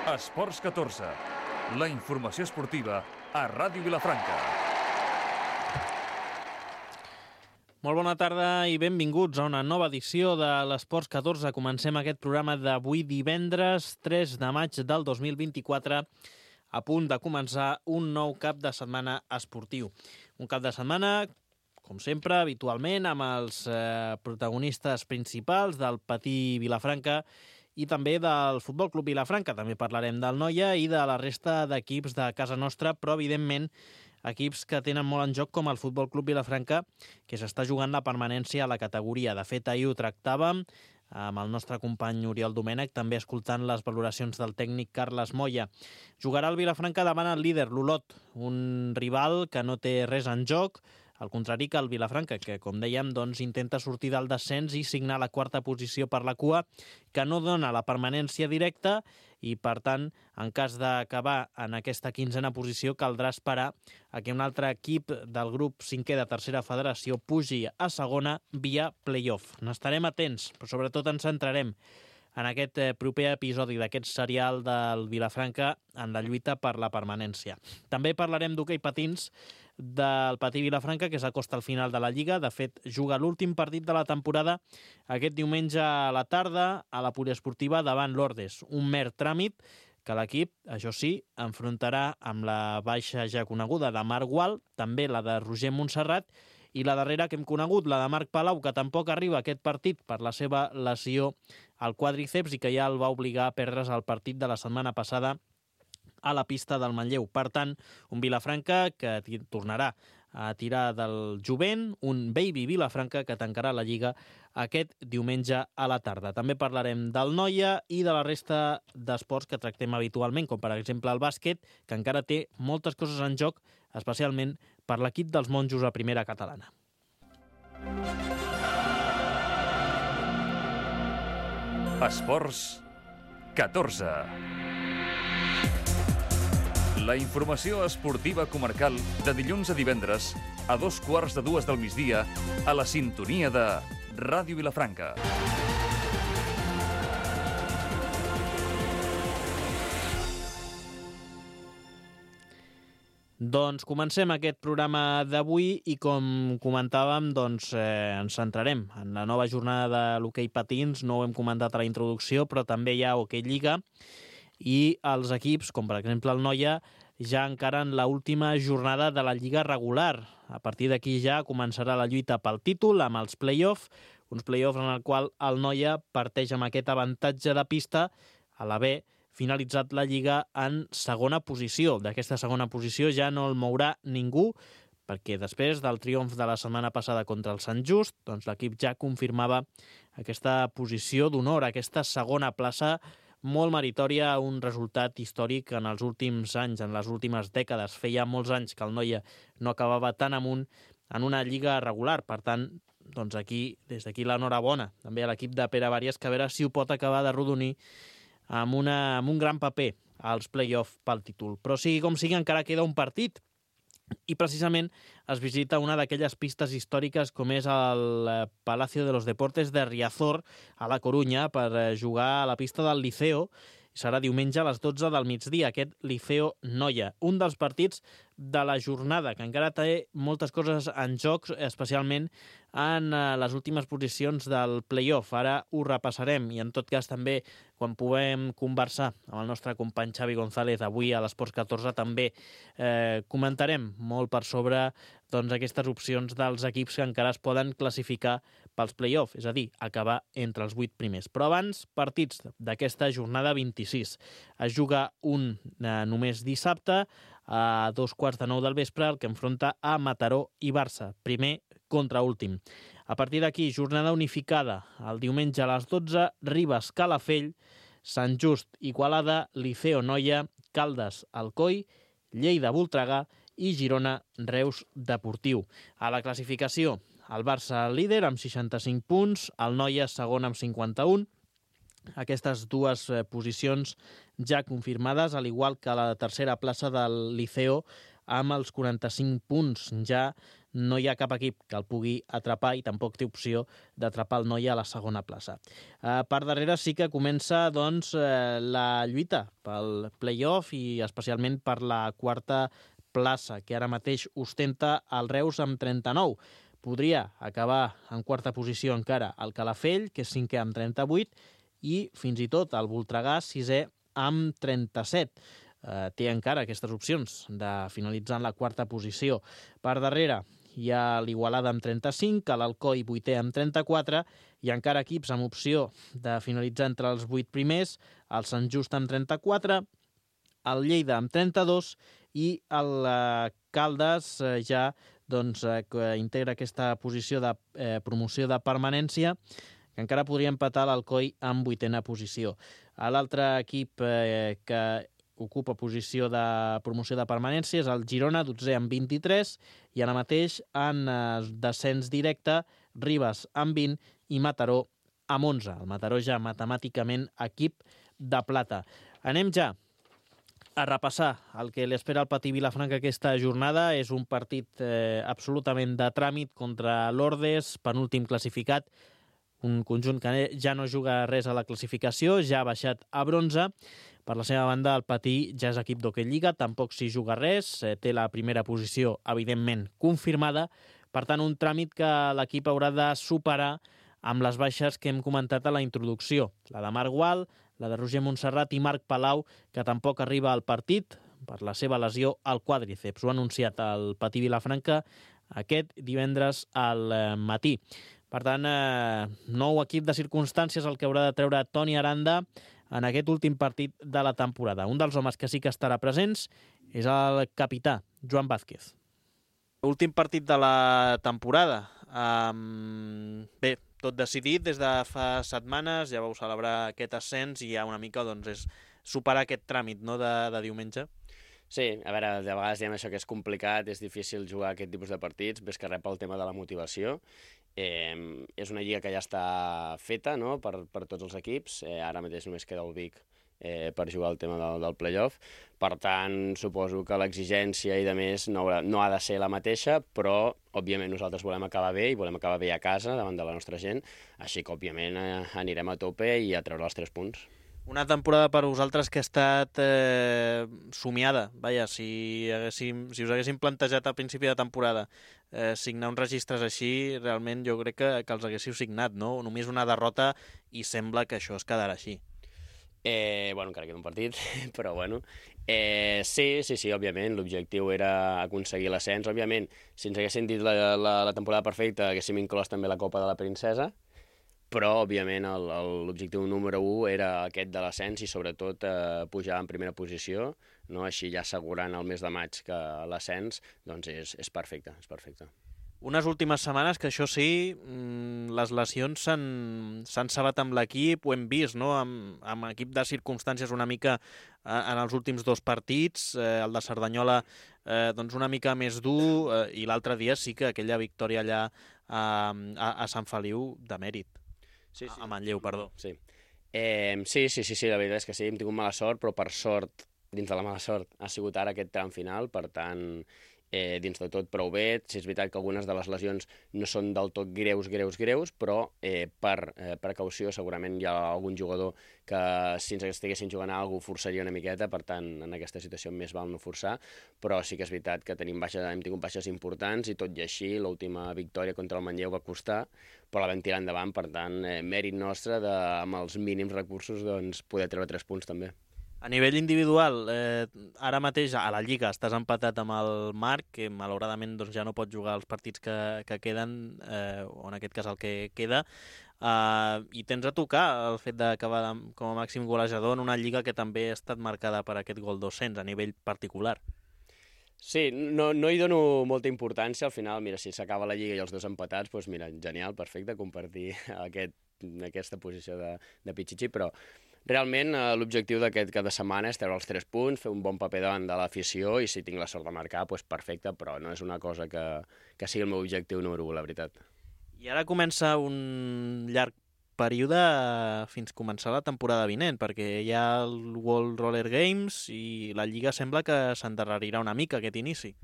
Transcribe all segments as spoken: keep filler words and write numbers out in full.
Esports catorze, la informació esportiva a Ràdio Vilafranca. Molt bona tarda i benvinguts a una nova edició de l'Esports catorze. Comencem aquest programa d'avui divendres tres de maig del dos mil vint-i-quatre, a punt de començar un nou cap de setmana esportiu. Un cap de setmana, com sempre, habitualment, amb els eh, protagonistes principals del Patí Vilafranca i també del Futbol Club Vilafranca. També parlarem del Noia i de la resta d'equips de casa nostra, però, evidentment, equips que tenen molt en joc com el Futbol Club Vilafranca, que s'està jugant la permanència a la categoria. De fet, ahir ho tractàvem amb el nostre company Oriol Domènech, també escoltant les valoracions del tècnic Carles Moya. Jugarà el Vilafranca davant el líder, l'Olot, un rival que no té res en joc, al contrari que el Vilafranca, que, com dèiem, doncs, intenta sortir del descens i signar la quarta posició per la cua, que no dona la permanència directa i, per tant, en cas d'acabar en aquesta quinzena posició, caldrà esperar a que un altre equip del grup cinquè de tercera federació pugi a segona via play-off. N'estarem atents, però sobretot ens centrarem en aquest proper episodi d'aquest serial del Vilafranca en la lluita per la permanència. També parlarem d'hoquei patins del Patí Vilafranca, que s'acosta al final de la Lliga. De fet, juga l'últim partit de la temporada aquest diumenge a la tarda a la poliesportiva davant l'Ordes. Un mer tràmit que l'equip, això sí, enfrontarà amb la baixa ja coneguda de Marc Gual, també la de Roger Montserrat, i la darrera que hem conegut, la de Marc Palau, que tampoc arriba a aquest partit per la seva lesió al quàdriceps i que ja el va obligar a perdre's el partit de la setmana passada a la pista del Manlleu. Per tant, un Vilafranca que tornarà a tirar del jovent, un baby Vilafranca que tancarà la Lliga aquest diumenge a la tarda. També parlarem del Noia i de la resta d'esports que tractem habitualment, com per exemple el bàsquet, que encara té moltes coses en joc, especialment per l'equip dels monjos a primera catalana. Esports catorze. La informació esportiva comarcal de dilluns a divendres a dos quarts de dues del migdia a la sintonia de Ràdio Vilafranca. Doncs comencem aquest programa d'avui i, com comentàvem, doncs, eh, ens centrarem en la nova jornada de l'hoquei patins. No ho hem comentat a la introducció, però també hi ha hoquei lliga i els equips, com per exemple el Noia, ja encara en l'última jornada de la Lliga regular. A partir d'aquí ja començarà la lluita pel títol amb els play-off, uns play-off en el qual el Noia parteix amb aquest avantatge de pista a l'haver finalitzat la Lliga en segona posició. D'aquesta segona posició ja no el mourà ningú, perquè després del triomf de la setmana passada contra el Sant Just, doncs l'equip ja confirmava aquesta posició d'honor, aquesta segona plaça molt meritòria, un resultat històric en els últims anys, en les últimes dècades. Feia molts anys que el Noia no acabava tan amunt en una lliga regular. Per tant, doncs aquí, des d'aquí l'enhorabona també a l'equip de Pere Bàries, que a veure si ho pot acabar de rodonir amb, una, amb un gran paper als play-off pel títol. Però sigui com sigui, encara queda un partit i precisament es visita una d'aquelles pistes històriques com és el Palacio de los Deportes de Riazor a la Corunya per jugar a la pista del Liceo. Serà diumenge a les dotze del migdia, aquest Liceo Noia, un dels partits de la jornada, que encara té moltes coses en joc, especialment en les últimes posicions del play-off. Ara ho repassarem i, en tot cas, també, quan puguem conversar amb el nostre company Xavi González avui a l'Esports catorze, també eh, comentarem molt per sobre doncs, aquestes opcions dels equips que encara es poden classificar pels play-off, és a dir, acabar entre els vuit primers. Però abans, partits d'aquesta jornada vint-i-sis. Es juga un eh, només dissabte, a dos quarts de nou del vespre, el que enfronta a Mataró i Barça, primer contra últim. A partir d'aquí, jornada unificada, el diumenge a les dotze, Ribes, Calafell, Sant Just, Igualada, Liceo Noia, Caldes, Alcoi, Lleida, Voltregà i Girona, Reus Deportiu. A la classificació, el Barça líder amb seixanta-cinc punts, el Noia segon amb cinquanta-un, aquestes dues posicions ja confirmades, al igual que la tercera plaça del Liceo amb els quaranta-cinc punts. Ja no hi ha cap equip que el pugui atrapar i tampoc té opció d'atrapar el Noia a la segona plaça. Eh, per darrere sí que comença doncs, eh, la lluita pel play-off i especialment per la quarta plaça, que ara mateix ostenta el Reus amb trenta-nou. Podria acabar en quarta posició encara el Calafell, que és cinquè amb trenta-vuit, i fins i tot el Voltregà, sisè amb trenta-set. Eh, té encara aquestes opcions de finalitzar en la quarta posició. Per darrere hi ha l'Igualada amb trenta-cinc, l'Alcoi vuitè amb trenta-quatre, i encara equips amb opció de finalitzar entre els vuit primers, el Sant Just amb trenta-quatre, el Lleida amb trenta-dos i el eh, Caldes eh, ja doncs, eh, que integra aquesta posició de eh, promoció de permanència, que encara podria empatar l'Alcoi amb vuitena posició. L'altre equip eh, que ocupa posició de promoció de permanència és el Girona, dotzè amb vint-i-tres, i ara mateix en eh, descens directe Ribes amb vint i Mataró amb onze. El Mataró ja matemàticament equip de plata. Anem ja a repassar el que li espera al Patí Vilafranca aquesta jornada. És un partit eh, absolutament de tràmit contra l'Ordes, penúltim classificat, un conjunt que ja no juga res a la classificació, ja ha baixat a bronze. Per la seva banda, el Patí ja és equip d'Hockey Lliga, tampoc s'hi juga res, eh, té la primera posició, evidentment, confirmada. Per tant, un tràmit que l'equip haurà de superar amb les baixes que hem comentat a la introducció. La de Marc Gual, la de Roger Montserrat i Marc Palau, que tampoc arriba al partit per la seva lesió al quàdriceps. Ho ha anunciat el Patí Vilafranca aquest divendres al matí. Per tant, eh, nou equip de circumstàncies el que haurà de treure Toni Aranda en aquest últim partit de la temporada. Un dels homes que sí que estarà presents és el capità, Joan Vázquez. Últim partit de la temporada. Um, bé, tot decidit des de fa setmanes, ja vau celebrar aquest ascens i ja una mica doncs, és superar aquest tràmit, no, de, de diumenge. Sí, a veure, de vegades diem això que és complicat, és difícil jugar aquest tipus de partits, ves que rep el tema de la motivació. Eh, és una lliga que ja està feta, no?, per, per tots els equips. Eh, ara mateix només queda el Vic eh, per jugar el tema del, del play-off. Per tant, suposo que l'exigència i de més no, haurà, no ha de ser la mateixa, però, òbviament, nosaltres volem acabar bé i volem acabar bé a casa davant de la nostra gent, així que, òbviament, eh, anirem a tope i a treure els tres punts. Una temporada per vosaltres que ha estat eh, somiada. Vaja, si, haguéssim, si us haguéssim plantejat al principi de temporada eh, signar uns registres així, realment jo crec que, que els haguéssiu signat, no? Només una derrota i sembla que això es quedarà així. Eh, bueno, encara queda un partit, però bueno. Eh, sí, sí, sí, òbviament, l'objectiu era aconseguir l'ascens. Òbviament, si ens haguessin dit la, la, la temporada perfecta, haguéssim inclòs també la Copa de la Princesa, però, òbviament, el, el, l'objectiu número un era aquest de l'ascens i, sobretot, eh, pujar en primera posició, no? Així ja assegurant el mes de maig que l'ascens doncs és, és perfecte, és perfecte. Unes últimes setmanes que això sí, les lesions s'han, s'han cebat amb l'equip, ho hem vist, no? Amb, amb equip de circumstàncies una mica eh, en els últims dos partits, eh, el de Cerdanyola eh, doncs una mica més dur eh, i l'altre dia sí que aquella victòria allà eh, a, a Sant Feliu de mèrit. Sí, sí. A Manlleu, perdó. Sí. Eh, sí, sí, sí, sí, la veritat és que sí, hem tingut mala sort, però per sort, dins de la mala sort, ha sigut ara aquest tram final, per tant, eh, dins de tot prou bé. Sí, és veritat que algunes de les lesions no són del tot greus, greus, greus, però eh, per eh, precaució segurament hi ha algun jugador que si ens estiguessin jugant a alguna cosa forçaria una miqueta, per tant, en aquesta situació més val no forçar, però sí que és veritat que tenim baixes, hem tingut baixes importants i tot i així l'última victòria contra el Manlleu va costar, però la vam tirar endavant, per tant, eh, mèrit nostre de, amb els mínims recursos, doncs, poder treure tres punts també. A nivell individual, eh, ara mateix a la Lliga estàs empatat amb el Marc, que malauradament doncs, ja no pot jugar els partits que, que queden, eh, o en aquest cas el que queda, eh, i tens a tocar el fet d'acabar com a màxim golejador en una Lliga que també ha estat marcada per aquest gol dos-cents a nivell particular. Sí, no, no hi dono molta importància, al final, mira, si s'acaba la Lliga i els dos empatats, doncs mira, genial, perfecte, compartir aquest, aquesta posició de, de Pichichi, però realment l'objectiu d'aquest cada setmana és treure els tres punts, fer un bon paper davant de l'afició i si tinc la sort de marcar, doncs perfecte, però no és una cosa que, que sigui el meu objectiu número u, la veritat. I ara comença un llarg període fins començar la temporada vinent, perquè hi ha el World Roller Games i la Lliga sembla que s'endarrerirà una mica aquest inici.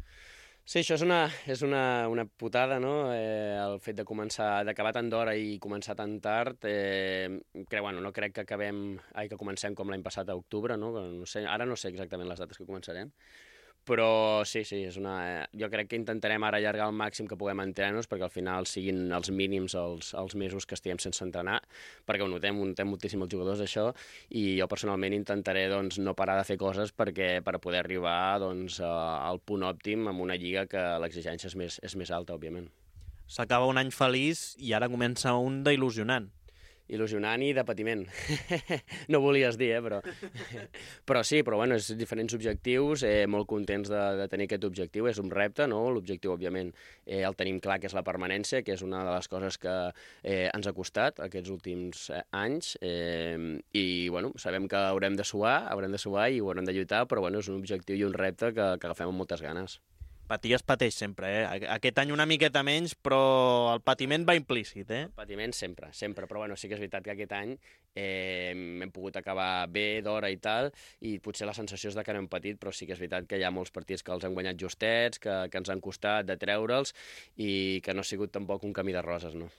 Sí, això és una, és una, una putada, no? Eh, el fet de començar, d'acabar tan d'hora i començar tan tard. Eh, crec, bueno, no crec que acabem, ai, que comencem com l'any passat a octubre, no? No sé, ara no sé exactament les dates que començarem, però sí, sí, és una... Eh, jo crec que intentarem ara allargar al màxim que puguem entrenar-nos perquè al final siguin els mínims els, els mesos que estiguem sense entrenar, perquè ho notem, ho notem moltíssim els jugadors això, i jo personalment intentaré doncs, no parar de fer coses perquè per poder arribar doncs, al punt òptim amb una lliga que l'exigència és més, és més alta, òbviament. S'acaba un any feliç i ara comença un d'il·lusionant. Il·lusionant i de patiment. No volies dir, eh, però... però sí, però bueno, és diferents objectius, eh, molt contents de, de tenir aquest objectiu, és un repte, no? L'objectiu, òbviament, eh, el tenim clar, que és la permanència, que és una de les coses que eh, ens ha costat aquests últims eh, anys, eh, i, bueno, sabem que haurem de suar, haurem de suar i ho haurem de lluitar, però, bueno, és un objectiu i un repte que, que agafem amb moltes ganes. Patir es pateix sempre, eh? Aquest any una miqueta menys, però el patiment va implícit, eh? El patiment sempre, sempre, però bueno, sí que és veritat que aquest any eh, hem pogut acabar bé, d'hora i tal, i potser la sensació és de que no hem patit, però sí que és veritat que hi ha molts partits que els han guanyat justets, que, que ens han costat de treure'ls, i que no ha sigut tampoc un camí de roses, no?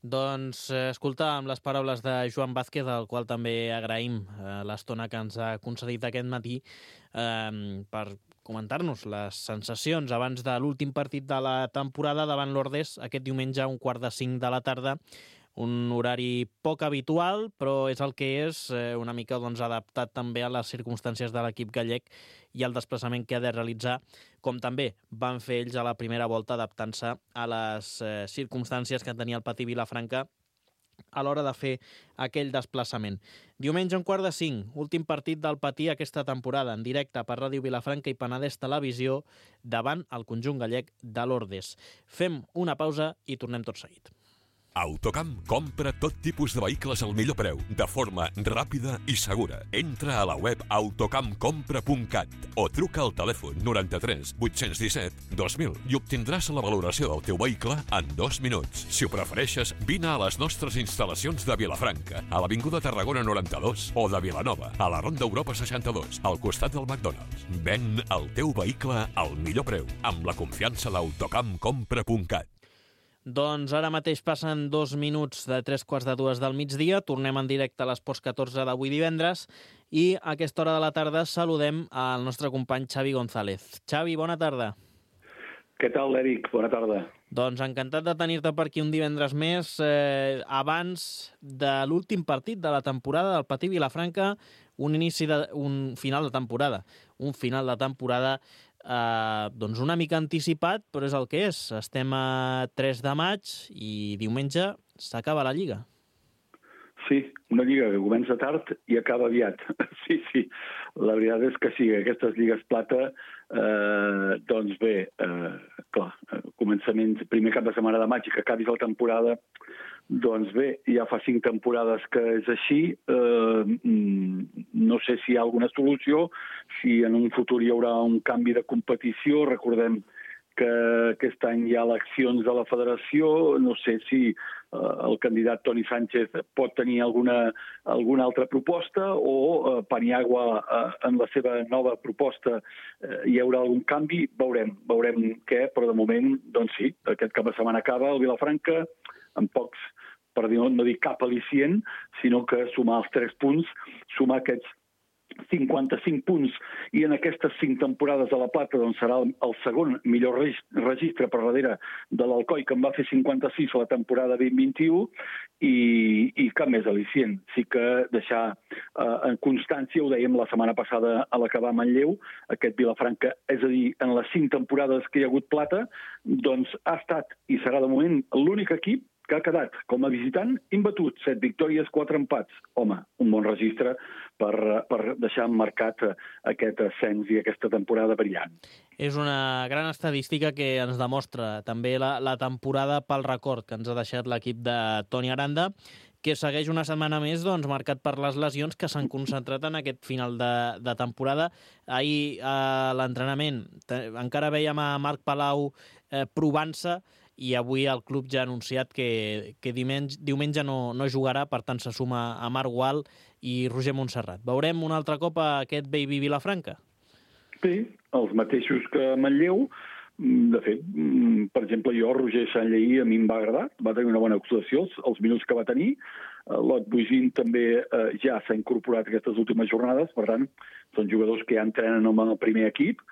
Doncs eh, escoltàvem les paraules de Joan Vázquez, al qual també agraïm eh, l'estona que ens ha concedit aquest matí eh, per comentar-nos les sensacions abans de l'últim partit de la temporada davant l'Ordés aquest diumenge a un quart de cinc de la tarda. Un horari poc habitual, però és el que és, eh, una mica doncs, adaptat també a les circumstàncies de l'equip gallec i al desplaçament que ha de realitzar, com també van fer ells a la primera volta, adaptant-se a les eh, circumstàncies que tenia el Patí Vilafranca a l'hora de fer aquell desplaçament. Diumenge un quart de cinc, últim partit del Patí aquesta temporada, en directe per Ràdio Vilafranca i Penedès Televisió, davant el conjunt gallec de l'Ordés. Fem una pausa i tornem tot seguit. Autocamp compra tot tipus de vehicles al millor preu, de forma ràpida i segura. Entra a la web autocamp compra punt cat o truca al telèfon noranta-tres vuit-cents disset dos mil i obtindràs la valoració del teu vehicle en dos minuts. Si ho prefereixes, vine a les nostres instal·lacions de Vilafranca, a l'Avinguda Tarragona noranta-dos, o de Vilanova, a la Ronda Europa seixanta-dos, al costat del McDonald's. Ven el teu vehicle al millor preu, amb la confiança d'autocamp compra punt cat. Doncs ara mateix passen dos minuts de tres quarts de dues del migdia. Tornem en directe a l'Esports catorze d'avui divendres i a aquesta hora de la tarda saludem al nostre company Xavi González. Xavi, bona tarda. Què tal, Eric? Bona tarda. Doncs encantat de tenir-te per aquí un divendres més, eh, abans de l'últim partit de la temporada del Patí Vilafranca, un inici de, un final de temporada, un final de temporada Uh, doncs una mica anticipat, però és el que és. Estem a tres de maig i diumenge s'acaba la Lliga. Sí, una Lliga que comença tard i acaba aviat. Sí, sí, la veritat és que sí, aquestes Lligues Plata, eh, doncs bé, eh, clar, començament, primer cap de setmana de maig i que acabis la temporada, doncs bé, ja fa cinc temporades que és així. Eh, no sé si hi ha alguna solució, si en un futur hi haurà un canvi de competició. Recordem que aquest any hi ha eleccions de la federació. No sé si eh, el candidat Toni Sánchez pot tenir alguna, alguna altra proposta o eh, Paniagua eh, en la seva nova proposta eh, hi haurà algun canvi. Veurem, veurem què, però de moment, doncs sí, aquest cap de setmana acaba el Vilafranca amb pocs, per dir, no dir cap al·licient, sinó que sumar els tres punts, sumar aquests cinquanta-cinc punts, i en aquestes cinc temporades de la Plata doncs serà el segon millor registre per darrere de l'Alcoi, que en va fer cinquanta-sis la temporada vint vint-vint-u, i, i cap més al·licient. Sí que deixar eh, en constància, ho dèiem la setmana passada a l'acabar a Manlleu, aquest Vilafranca, és a dir, en les cinc temporades que hi ha hagut Plata, doncs ha estat i serà de moment l'únic equip que ha quedat com a visitant imbatut, set victòries, quatre empats. Home, un bon registre per, per deixar marcat aquest ascens i aquesta temporada brillant. És una gran estadística que ens demostra també la, la temporada pel record que ens ha deixat l'equip de Toni Aranda, que segueix una setmana més doncs, marcat per les lesions que s'han concentrat en aquest final de, de temporada. Ahir a l'entrenament encara veiem a Marc Palau eh, provant-se i avui el club ja ha anunciat que, que diumenge, diumenge no, no jugarà, per tant se suma a Marc Gual i Roger Montserrat. Veurem un altre cop a aquest Baby Vilafranca? Sí, els mateixos que Manlleu. De fet, per exemple, jo, Roger Sanlleí, a mi em va agradar, va tenir una bona actuació, els, els minuts que va tenir. Lot Bugin també eh, ja s'ha incorporat aquestes últimes jornades, per tant, són jugadors que ja entrenen amb el primer equip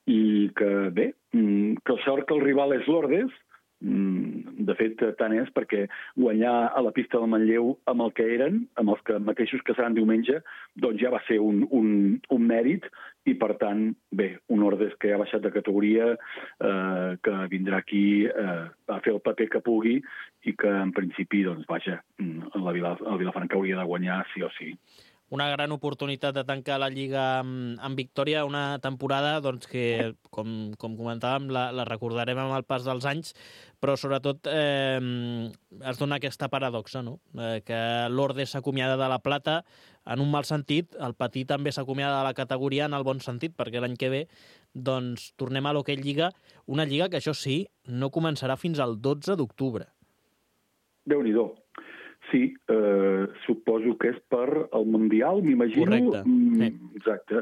i que, bé, que sort que el rival és l'Ordes. De fet, tant és perquè guanyar a la pista del Manlleu amb el que eren, amb els que mateixos que seran diumenge, doncs ja va ser un, un, un mèrit i, per tant, bé, un Ordes que ha baixat de categoria, eh, que vindrà aquí eh, a fer el paper que pugui i que, en principi, doncs, vaja, la Vila, el Vilafranca hauria de guanyar sí o sí. Una gran oportunitat de tancar la Lliga amb, amb victòria, una temporada doncs, que, com, com comentàvem, la, la recordarem amb el pas dels anys, però sobretot eh, es dona aquesta paradoxa, no? eh, que l'Ordes s'acomiada de la plata en un mal sentit, el Patí també s'acomiada de la categoria en el bon sentit, perquè l'any que ve doncs, tornem a l'Hockey Lliga, una lliga que, això sí, no començarà fins al dotze d'octubre. Déu-n'hi-do. Sí, eh, suposo que és per el Mundial, m'imagino. Correcte. Mm, sí. Exacte.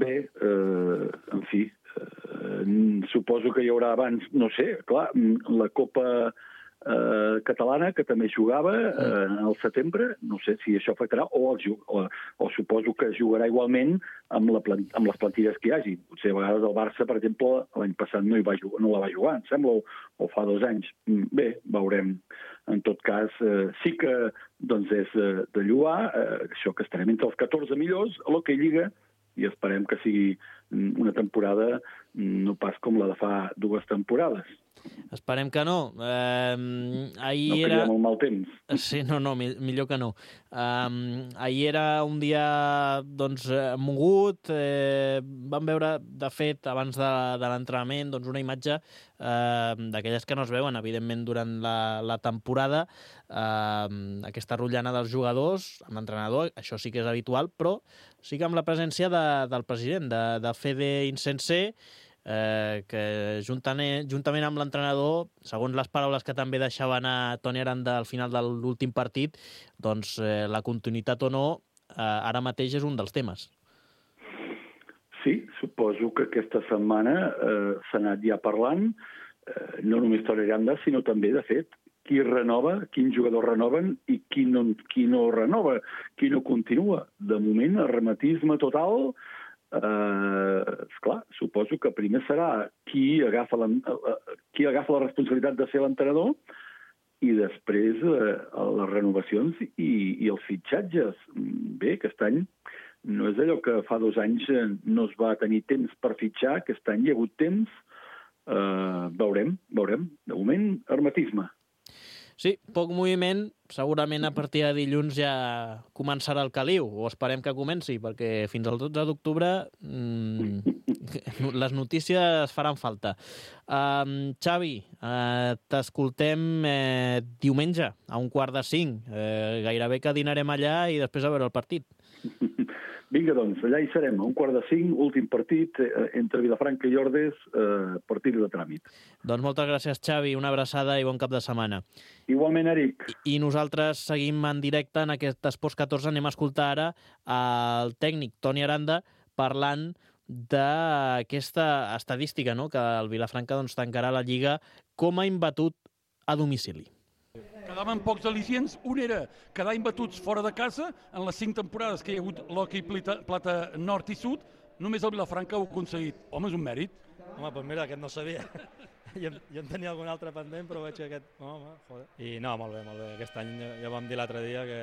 Bé, eh, en fi, eh, suposo que hi haurà abans, no sé, clar, la Copa eh, Catalana, que també jugava eh, al setembre, no sé si això afectarà, o, el, o, o suposo que jugarà igualment amb, la plant, amb les plantilles que hi hagi. Potser a vegades el Barça, per exemple, l'any passat no, hi va jugar, no la va jugar, em sembla, o, o fa dos anys. Bé, veurem. En tot cas, eh, sí que doncs, és eh, de lloar, eh, això que estarem entre els catorze millors a l'Hockey Lliga, i esperem que sigui una temporada no pas com la de fa dues temporades. Esperem que no. Eh, ahir no era... molt mal temps. Sí, no, no, millor que no. Um, ahir era un dia doncs, mogut. Eh, vam veure, de fet, abans de, de l'entrenament, doncs, una imatge eh, d'aquelles que no es veuen, evidentment, durant la, la temporada. Eh, aquesta rotllana dels jugadors amb l'entrenador, això sí que és habitual, però sí que amb la presència de, del president, de, de Fede Insensé, Eh, que juntament, juntament amb l'entrenador, segons les paraules que també deixava anar Toni Aranda al final de l'últim partit, doncs eh, la continuïtat o no eh, ara mateix és un dels temes. Sí, suposo que aquesta setmana eh, s'ha anat ja parlant, eh, no només Toni Aranda, sinó també, de fet, qui renova, quins jugadors renoven i qui no, qui no renova, qui no continua. De moment, hermetisme total. Uh, esclar, suposo que primer serà qui agafa la, uh, qui agafa la responsabilitat de ser l'entrenador i després uh, les renovacions i, i els fitxatges. Bé, aquest any no és allò que fa dos anys no es va tenir temps per fitxar, aquest any hi ha hagut temps. Uh, veurem, veurem. De moment, hermetisme. Sí, poc moviment, segurament a partir de dilluns ja començarà el caliu, o esperem que comenci, perquè fins al dotze d'octubre mmm, les notícies faran falta. Um, Xavi, uh, t'escoltem eh, diumenge a un quart de cinc. Eh, gairebé que dinarem allà i després a veure el partit. Vinga, doncs, allà hi serem, a un quart de cinc, últim partit eh, entre Vilafranca i Ordes, eh, partit de tràmit. Doncs moltes gràcies, Xavi, una abraçada i bon cap de setmana. Igualment, Eric. I, i nosaltres seguim en directe en aquest Esports catorze. Anem a escoltar ara el tècnic Toni Aranda parlant d'aquesta estadística, no?, que el Vilafranca doncs, tancarà la Lliga com a imbatut a domicili. Quedaven pocs al·licients. Un era quedar imbatuts fora de casa en les cinc temporades que hi ha hagut l'hoquei plata nord i sud. Només el Vilafranca ho ha aconseguit. Home, és un mèrit. Home, doncs mira, aquest no sabia. jo, jo en tenia algun altre pendent, però veig que aquest... Home, joder. I no, molt bé, molt bé. Aquest any ja vam dir l'altre dia que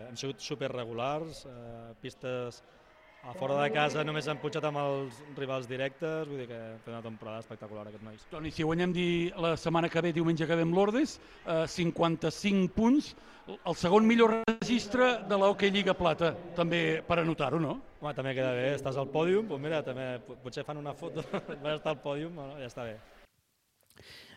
hem sigut superregulars, eh, pistes a fora de casa només han punxat amb els rivals directes, vull dir que hem fet una temporada espectacular aquests nois. Toni, si guanyem dir la setmana que ve, diumenge que ve amb l'Ordes, eh, cinquanta-cinc punts, el segon millor registre de l'Hockey Lliga Plata, també per anotar-ho, no? Home, també queda bé, estàs al pòdium, doncs mira, també potser fan una foto, vas estar al pòdium, no? Ja està bé.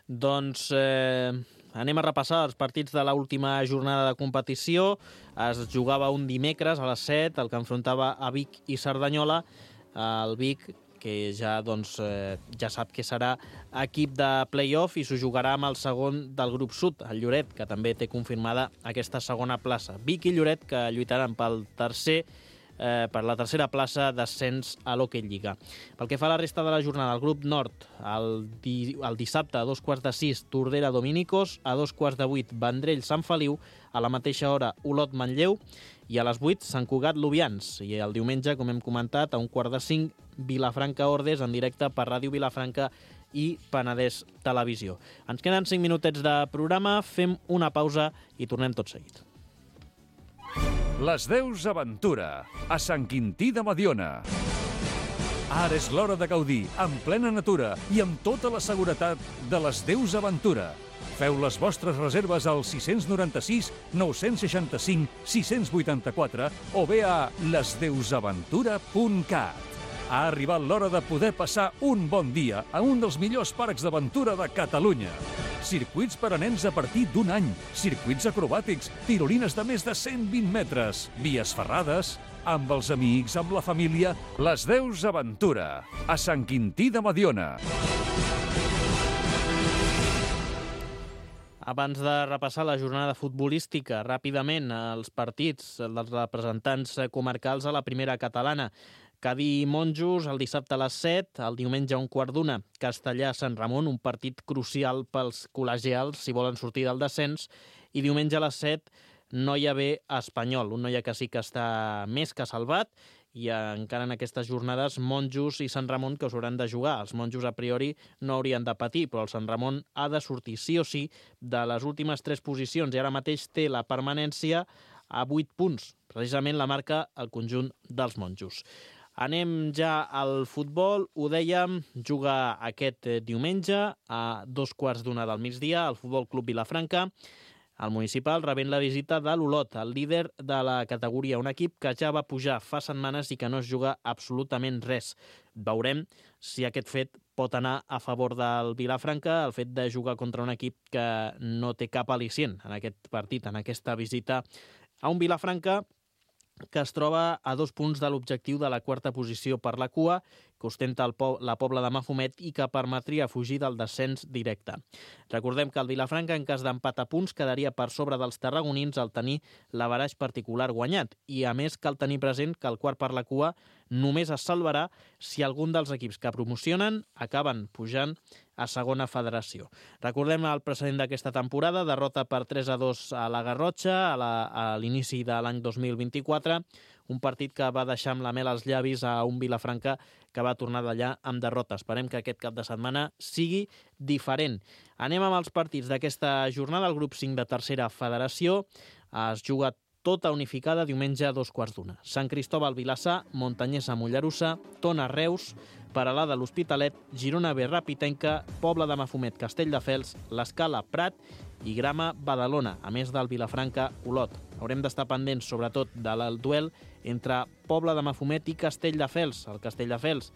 Doncs eh, anem a repassar els partits de l'última jornada de competició. Es jugava un dimecres a les set, el que enfrontava a Vic i Cerdanyola. El Vic, que ja, doncs, eh, ja sap que serà equip de play-off i s'ho jugarà amb el segon del grup sud, el Lloret, que també té confirmada aquesta segona plaça. Vic i Lloret, que lluitaran pel tercer Eh, per la tercera plaça d'ascens a l'Hockey Lliga. Pel que fa a la resta de la jornada, el grup nord, el, di el dissabte a dos quarts de sis, Tordera Dominicos, a dos quarts de vuit, Vendrell Sant Feliu, a la mateixa hora Olot Manlleu i a les vuit Sant Cugat Lubians. I el diumenge, com hem comentat, a un quart de cinc, Vilafranca Ordes en directe per Ràdio Vilafranca i Penedès Televisió. Ens queden cinc minutets de programa, fem una pausa i tornem tot seguit. Les Deus Aventura, a Sant Quintí de Mediona. Ara és l'hora de gaudir, en plena natura i amb tota la seguretat de les Deus Aventura. Feu les vostres reserves al sis nou sis, nou sis cinc, sis vuit quatre o bé a les deus aventura punt cat. Ha arribat l'hora de poder passar un bon dia a un dels millors parcs d'aventura de Catalunya. Circuits per a nens a partir d'un any, circuits acrobàtics, tirolines de més de cent vint metres, vies ferrades, amb els amics, amb la família, les Deus Aventura, a Sant Quintí de Mediona. Abans de repassar la jornada futbolística, ràpidament els partits dels representants comarcals a la primera catalana. Cadí-Monjos el dissabte a les set, el diumenge a un quart d'una, Castellà-Sant Ramon, un partit crucial pels col·legials si volen sortir del descens, i diumenge a les set, Noia B Espanyol, un Noia que sí que està més que salvat, i encara en aquestes jornades Monjos i Sant Ramon que us hauran de jugar. Els Monjos a priori no haurien de patir, però el Sant Ramon ha de sortir sí o sí de les últimes tres posicions i ara mateix té la permanència a vuit punts. Precisament la marca el conjunt dels Monjos. Anem ja al futbol. Ho dèiem, juga aquest diumenge a dos quarts d'una del migdia al Futbol Club Vilafranca. El municipal rebent la visita de l'Olot, el líder de la categoria, un equip que ja va pujar fa setmanes i que no es juga absolutament res. Veurem si aquest fet pot anar a favor del Vilafranca, el fet de jugar contra un equip que no té cap al·licient en aquest partit, en aquesta visita a un Vilafranca que es troba a dos punts de l'objectiu de la quarta posició per la cua, que ostenta el po la Pobla de Mafumet i que permetria fugir del descens directe. Recordem que el Vilafranca, en cas d'empat a punts, quedaria per sobre dels tarragonins al tenir l'averaix particular guanyat. I, a més, cal tenir present que el quart per la cua només es salvarà si algun dels equips que promocionen acaben pujant a segona federació. Recordem el precedent d'aquesta temporada, derrota per tres a dos a la Garrotxa a l'inici de l'any dos mil vint-i-quatre, un partit que va deixar amb la mel als llavis a un Vilafranca que va tornar d'allà amb derrota. Esperem que aquest cap de setmana sigui diferent. Anem amb els partits d'aquesta jornada. El grup cinc de tercera federació es juga tota unificada diumenge a dos quarts d'una. Sant Cristòbal Vilassar, Montanyesa Mollerussa, Tona Reus, Peralada l'Hospitalet, Girona B Rapitenca, Pobla de Mafumet Castelldefels, l'Escala Prat i Grama Badalona, a més del Vilafranca Olot. Haurem d'estar pendents sobretot del duel entre Pobla de Mafumet i Castelldefels. El Castelldefels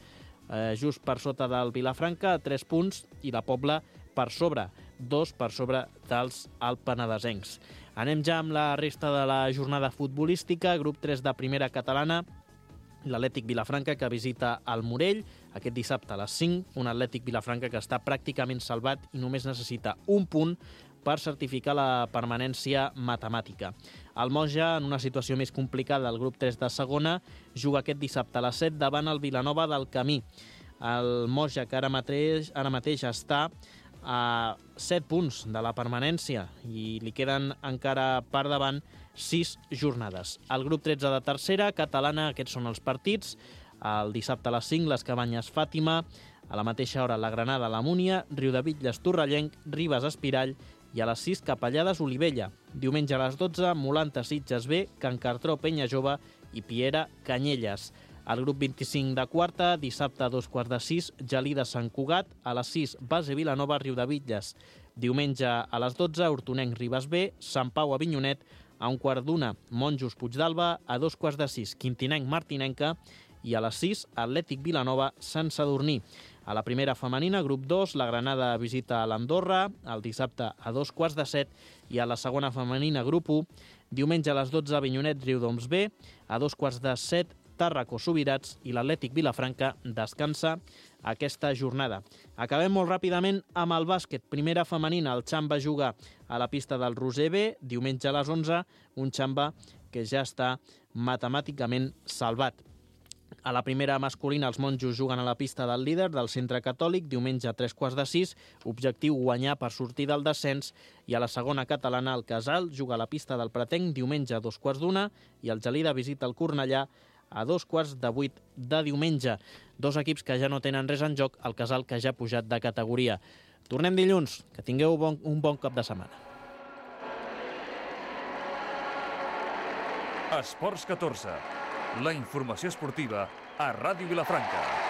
eh, just per sota del Vilafranca, tres punts, i la Pobla per sobre, dos per sobre dels alpenedesencs. Anem ja amb la resta de la jornada futbolística. Grup tres de primera catalana, l'Atlètic Vilafranca que visita el Morell aquest dissabte a les cinc, un Atlètic Vilafranca que està pràcticament salvat i només necessita un punt per certificar la permanència matemàtica. El Moja, en una situació més complicada, el grup tres de segona, juga aquest dissabte a les set davant el Vilanova del Camí. El Moja, que ara mateix, ara mateix està a set punts de la permanència i li queden encara per davant sis jornades. El grup tretze de tercera catalana, aquests són els partits. El dissabte a les cinc, les Cabanyes Fàtima, a la mateixa hora la Granada la Múnia, Riudebitlles Torrellenc, Ribes Espirall i a les sis Capellades Olivella. Diumenge a les dotze, Molanta Sitges B, Can Cartró Penya Jove i Piera Canyelles. El grup vint-i-cinc de quarta, dissabte a dos quarts de sis, Gelida Sant Cugat, a les sis, Base Vilanova, Riudebitlles. Diumenge a les dotze, Hortonenc Ribes B, Sant Pau Avinyonet, a un quart d'una, Monjos Puigdàlber, a dos quarts de sis, Quintinenc Martinenca, i a les sis, Atlètic Vilanova, Sant Sadurní. A la primera femenina, grup dos, la Granada visita a l'Andorra, el dissabte a dos quarts de set, i a la segona femenina, grup u, diumenge a les dotze, Avinyonet Riudoms B, a dos quarts de set, Tàrraco Subirats i l'Atlètic Vilafranca descansa aquesta jornada. Acabem molt ràpidament amb el bàsquet. Primera femenina, el Xamba juga a la pista del Roser B, diumenge a les onze, un Xamba que ja està matemàticament salvat. A la primera masculina, els monjos juguen a la pista del líder del Centre Catòlic, diumenge a tres quarts de sis, objectiu guanyar per sortir del descens, i a la segona catalana, el Casal juga a la pista del Pretenc, diumenge a dos quarts d'una, i el Gelida visita el Cornellà a dos quarts de vuit de diumenge. Dos equips que ja no tenen res en joc, el Casal que ja ha pujat de categoria. Tornem dilluns, que tingueu bon, un bon cap de setmana. Esports catorze. La informació esportiva a Ràdio Vilafranca.